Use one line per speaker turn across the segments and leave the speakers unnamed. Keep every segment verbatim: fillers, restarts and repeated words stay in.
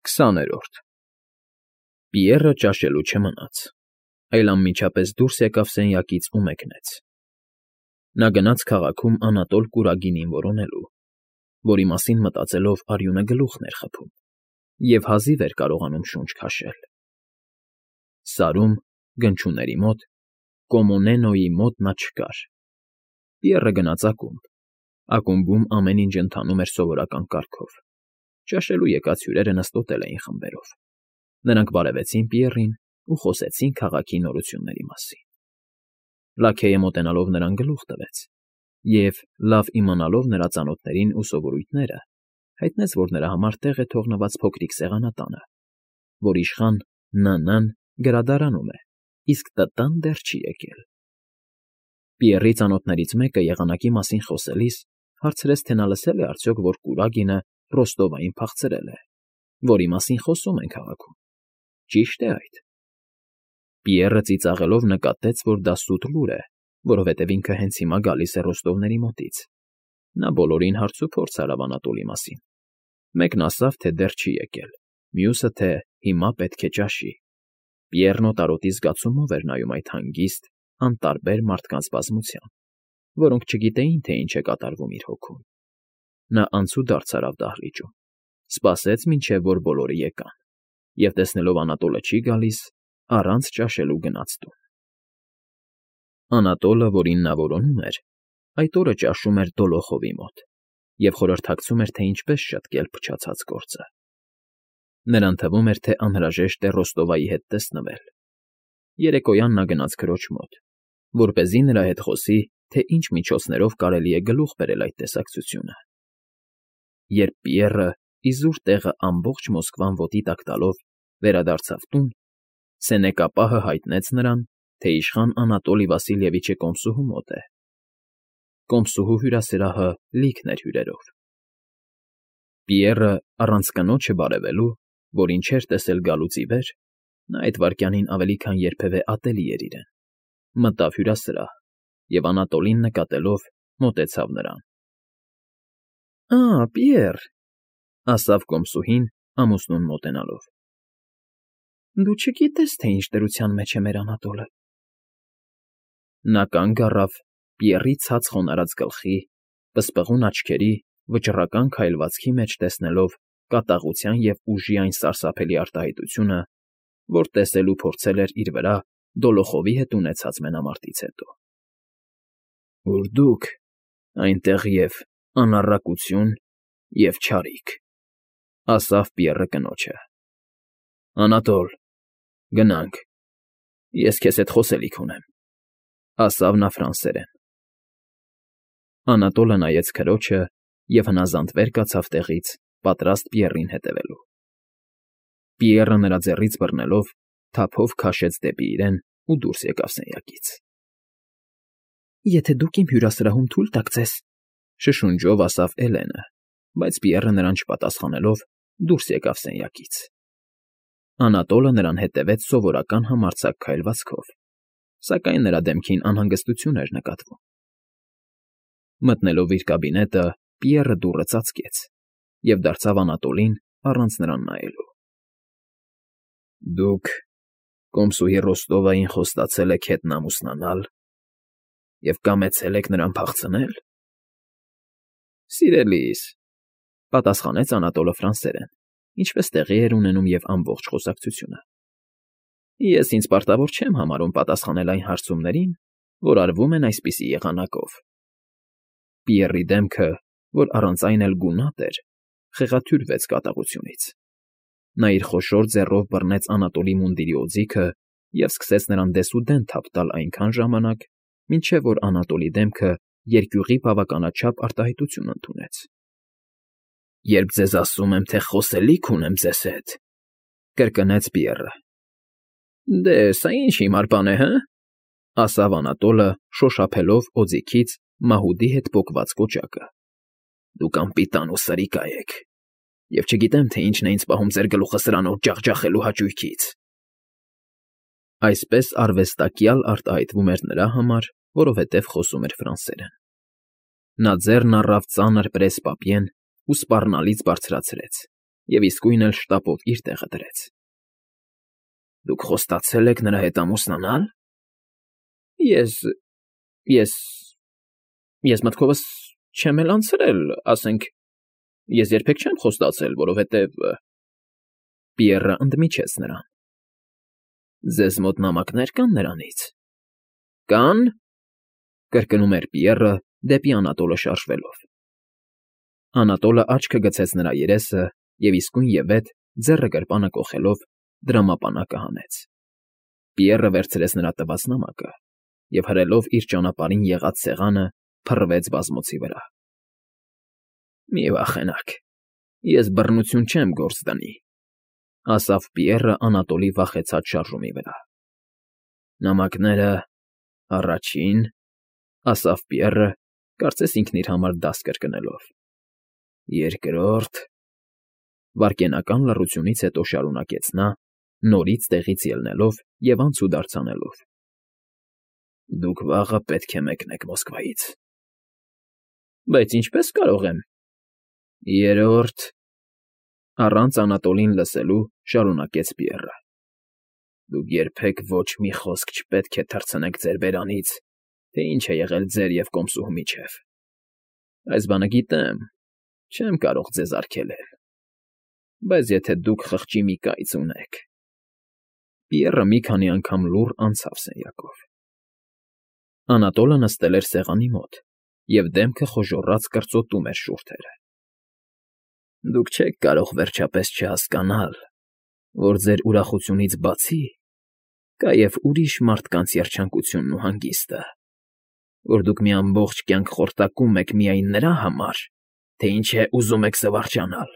քսաներորդ Պիեռը ճաշելու չմնաց, այլ անմիջապես դուրս եկավ սենյակից ու մեկնեց. նա գնաց քաղաքում Անատոլ կուրագինին որոնելու, որի մասին մտածելով արյունը գլուխն էր խփում և հազիվ էր կարողանում շունչ քաշել. Սարում, գնչուների մոտ, Կոմոնենոյի մոտ նա չկար. Պիեռը գնաց ակումբ, ակումբում ամեն ինչ ընթանում էր սովորական կարգով, ճաշելու եկած հյուրերը նստոտել էին խմբերով, նրանք բարևեցին Պիեռին ու խոսեցին քաղաքի նորությունների մասին. Լաքեյը մոտենալով նրան գլուխ տվեց և, լավ իմանալով նրա ծանոթներին ու սովորույթները, հայտնեց, որ նրա համար տեղ է թողնված փոքրիկ սեղանատանը, որ իշխան Ն.Ն. գրադարանում է, իսկ Տ.Տ.֊ն դեռ չի եկել։ Պիեռի ծանոթներից մեկը եղանակի մասին խոսելիս հարցրեց, թե նա լսել է արդյոք, որ Կուրագինը Ռոստովային փախցրել է, որի մասին խոսում են քաղաքում, ճի՞շտ է այդ։ Պիեռը ծիծաղելով նկատեց, որ դա սուտ լուր է, որովհետև ինքը հենց հիմա գալիս է Ռոստովների մոտից. նա բոլորին հարցուփորձ արավ Անատոլի մասին, մեկն ասավ, թե դեռ չի եկել, մյուսը, թե հիմա պետք է ճաշի։ Պիեռն օտարոտի զգացումով էր նայում այդ հանգիստ, անտարբեր մարդկանց բազմության, որոնք չգիտեին, թե ինչ է կատարվում իր հոգում։ Նա անցուդարձ արավ դահլիճում, սպասեց, մինչև որ բոլորը եկան, և տեսնելով Անատոլը չի գալիս, առանց ճաշելու գնաց տուն։ Անատոլը, որին նա որոնում էր, այդ օրը ճաշում էր Դոլոխովի մոտ և խորհրդակցում էր, թե ինչպես շտկել փչացած գործը։ Նրան թվում էր, թե անհրաժեշտ է Ռոստովայի հետ տեսնվել։ Երեկոյան նա գնաց քրոջ մոտ, որպեսզի նրա հետ խոսի, թե ինչ միջոցներով կարելի է գլուխ բերել այդ տեսակցությունը։ Երբ Պիեռը, իզուր տեղը ամբողջ Մոսկվան ոտի տակ տալով, վերադարձավ տուն, սենեկապահը հայտնեց նրան, թե իշխան Անատոլի Վասիլևիչը կոմսուհու մոտ է։ Կոմսուհու հյուրասրահը լիքն էր հյուրերով։ Պիեռը, առանց կնոջը բարևելու, որին չէր տեսել գալուց ի վեր, նա այդ վայրկյանին ավելի քան երբևէ ատելի էր իրեն, մտավ հյուրասրահ և Անատոլին նկատելով մոտեցավ նրան։ «Ա՜, Պիեռ,֊ ասավ կոմսուհին, ամուսնուն մոտենալով,֊ դու չգիտես, թե ինչ դրության մեջ է մեր Անատոլը»։ Նա կանգ առավ, Պիեռի ցած խոնարհած գլխի, պսպղուն աչքերի, վճռական քայլվածքի մեջ տեսնելով կատաղության և ուժի այն սարսափելի արտահայտությունը, որ տեսել ու փորձել էր իր վրա Դոլոխովի հետ ունեցած մենամարտից հետո։ «Որ դուք այնտեղ և անառակություն, և չարիք,֊ ասավ Պիեռը կնոջը։ Անատոլ, գնանք, ես քեզ հետ խոսելիք ունեմ,֊ ասավ նա ֆրանսերեն։ Անատոլը նայեց քրոջը և հնազանդ վեր կացավ տեղից, պատրաստ Պիեռին հետևելու։ Պիեռը նրա ձեռից բռնելով, թափով քաշեց դեպի իրեն ու դուրս եկավ սենյակից։ «Եթե դուք իմ հյուրասրահում թույլ տաք ձեզ,֊ շշունջով ասավ Էլենը, բայց Պիեռը նրան չպատասխանելով, դուրս եկավ սենյակից։ Անատոլը նրան հետևեց սովորական համարձակ քայլվածքով, սակայն նրա դեմքին անհանգստություն էր նկատվում։ Մտնելով իր կաբինետը, Պիեռը դուռը ծածկեց և դարձավ Անատոլին առանց նրան նայելու։ «Դուք կոմսուհի Ռոստովային խոստացել եք հետն ամուսնանալ և կամեցել եք նրան փախցնել»։ «Սիրելիս,֊ պատասխանեց Անատոլը ֆրանսերեն, ինչպես տեղի էր ունենում և ամբողջ խոսակցությունը,֊ ես ինձ պարտավոր չեմ համարում պատասխանել այն հարցումներին, որ արվում են այսպիսի եղանակով»։ Պիեռի դեմքը, որ առանց այն էլ գունատ էր, խեղաթյուրվեց կատաղությունից։ Նա իր խոշոր ձեռով բռնեց Անատոլի մունդիրի օձիքը և սկսեց նրան դեսուդեն թափ տալ այնքան ժամանակ, մինչև որ Անատոլի դեմքը երկյուղի բավականաչափ արտահայտություն ընդունեց։ «Երբ ձեզ ասում եմ, թե խոսելիք ունեմ ձեզ հետ,֊ կրկնեց Պիեռը։ Դե, սա ինչ հիմար բան է, հը՞,֊ ասավ Անատոլը, շոշափելով օձիքից մահուդի հետ պոկված կոճակը։ Դուք անպիտան ու սրիկա եք, և չգիտեմ, թե ինչն է ինձ պահում ձեր գլուխը սրանով ջախջախելու հաճույքից։ Այսպես արվեստակյալ արտահայտվում էր նրա համար, որովհետև խոսում էր ֆրանսերեն։ Նա ձեռն առավ ծանր պրես֊պապիեն ու սպառնալից բարձրացրեց և իսկույն էլ շտապով իր տեղը դրեց։ ֊ Դուք խոստացե՞լ եք նրա հետ ամուսնանալ։ ֊ Ես… ես… ես մտքովս չեմ էլ անցրել, ասենք… ես երբեք չեմ խոստացել, որովհետև… Պիեռը ընդմիջեց նրան։ ֊ Ձեզ մոտ նամակներ կան նրանից։ ֊ Կան,֊ կրկնում էր Պիեռը, դեպի Անատոլը շարժվելով։ Անատոլը աչքը գցեց նրա երեսը և իսկույնևեթ, ձեռը գրպանը կոխելով, դրամապանակը հանեց։ Պիեռը վերցրեց նրա տված նամակը և, հրելով իր ճանապարհին եղած սեղանը, փռվեց բազմոցի վրա։ ֊ Մի վախենաք, ես բռնություն չեմ գործ դնի,֊ ասավ Պիեռը Անատոլի վախեցած շարժումի վրա։ ֊ Նամակները… առաջին…֊ ասավ Պիեռը, կարծես ինքն իր համար դաս կրկնելով,֊ երկրորդ…֊ Վայրկենական լռությունից հետո շարունակեց նա, նորից տեղից ելնելով և անցուդարձ անելով,֊ Դուք վաղը պետք է մեկնեք Մոսկվայից։ ֊ Բայց ինչպե՞ս կարող եմ… Երրորդ…֊ առանց Անատոլին լսելու շարունակեց Պիեռը,֊ Դուք երբեք ոչ մի խոսք չպետք է թռցնեք ձեր բերանից, թե ինչ է եղել ձեր և կոմսուհու միջև… Այս բանը գիտեմ, չեմ կարող ձեզ արգելել… Բայց եթե դուք խղճի մի կայծ ունեք… Պիեռը մի քանի անգամ լուռ անցավ սենյակով։ Անատոլը նստել էր սեղանի մոտ և դեմքը խոժոռած կրծոտում էր շուրթերը։ ֊ Դուք չեք կարող վերջապես չհասկանալ, որ ձեր ուրախությունից բացի կա և ուրիշ մարդկանց երջանկությունն ու հանգիստը, որ դուք մի ամբողջ կյանք խորտակում եք միայն նրա համար, թե ինչ է ուզում եք զվարճանալ…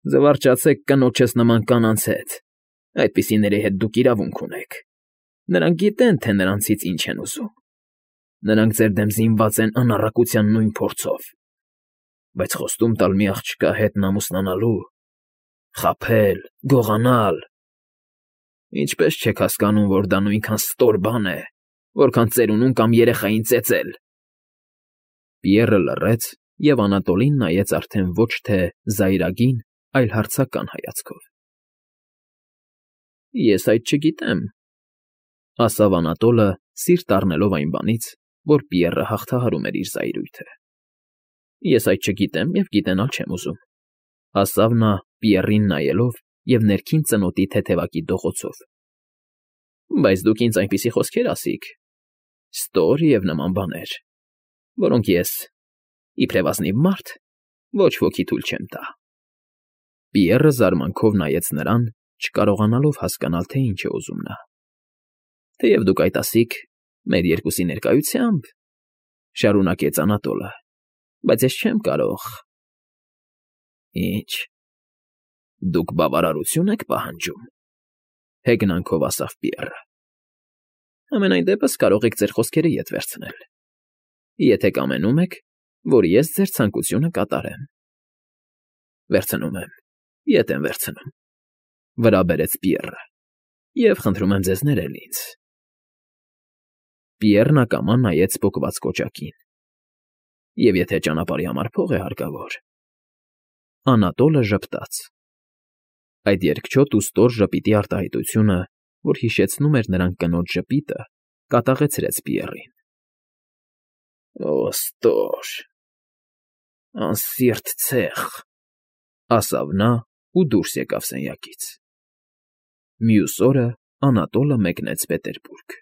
Զվարճացեք կնոջս նման կանանց հետ, այդպիսիների հետ դուք իրավունք ունեք… Նրանք գիտեն, թե նրանցից ինչ են ուզում… Նրանք ձեր դեմ զինված են անառակության նույն փորձով… Բայց խոստում տալ մի աղջկա հետ ամուսնանալու… խաբել, գողանալ… Ինչպե՞ս չեք հասկանում, որ դա նույնքան ստոր բան է, որքան ծերունուն կամ երեխային ծեծել… Պիեռը լռեց և Անատոլին նայեց արդեն ոչ թե զայրագին, այլ հարցական հայացքով։ ֊ Ես այդ չգիտեմ,֊ ասավ Անատոլը, սիրտ առնելով այն բանից, որ Պիեռը հաղթահարում էր իր զայրույթը։ ֊ Ես այդ չգիտեմ և գիտենալ չեմ ուզում,֊ ասավ նա, Պիեռին նայելով և ներքին ծնոտի թեթևակի դողոցով,֊ Բայց դուք ինձ այնպիսի խոսքեր ասիք… ստոր և նման բաներ, որոնք ես, իբրև ազնիվ մարդ, ոչ ոքի թույլ չեմ տա… Պիեռը զարմանքով նայեց նրան, չկարողանալով հասկանալ, թե ինչ է ուզում նա։ ֊ Թեև դուք այդ ասիք մեր երկուսի ներկայությամբ,֊ շարունակեց Անատոլը,֊ բայց ես չեմ կարող… ֊ Ի՞նչ… Դուք բավարարությո՞ւն եք պահանջում,֊ հեգնանքով ասավ Պիեռը։ ֊ Համենայն դեպս կարող եք ձեր խոսքերը ետ վերցնել, եթե կամենում եք, որ ես ձեր ցանկությունը կատարեմ։ ֊ Վերցնում եմ, ետ եմ վերցնում,֊ վրա բերեց Պիեռը,֊ և խնդրում եմ ձեզ ներել ինձ… Պիեռն ակամա նայեց պոկված կոճակին։ ֊ Եվ եթե ճանապարհի համար փող է հարկավոր… Անատոլը ժպտաց։ Այդ երկչոտ ու ստոր ժպիտի արտահայտությունը, որ հիշեցնում էր նրան կնոջ ժպիտը, կատաղեցրեց Պիեռին։ ֊ Օ՜, ստոր… անսիրտ ցեխ,֊ ասավ նա ու դուրս եկավ սենյակից։ Մյուս օրը Անատոլը մեկնեց Պետերբուրգ։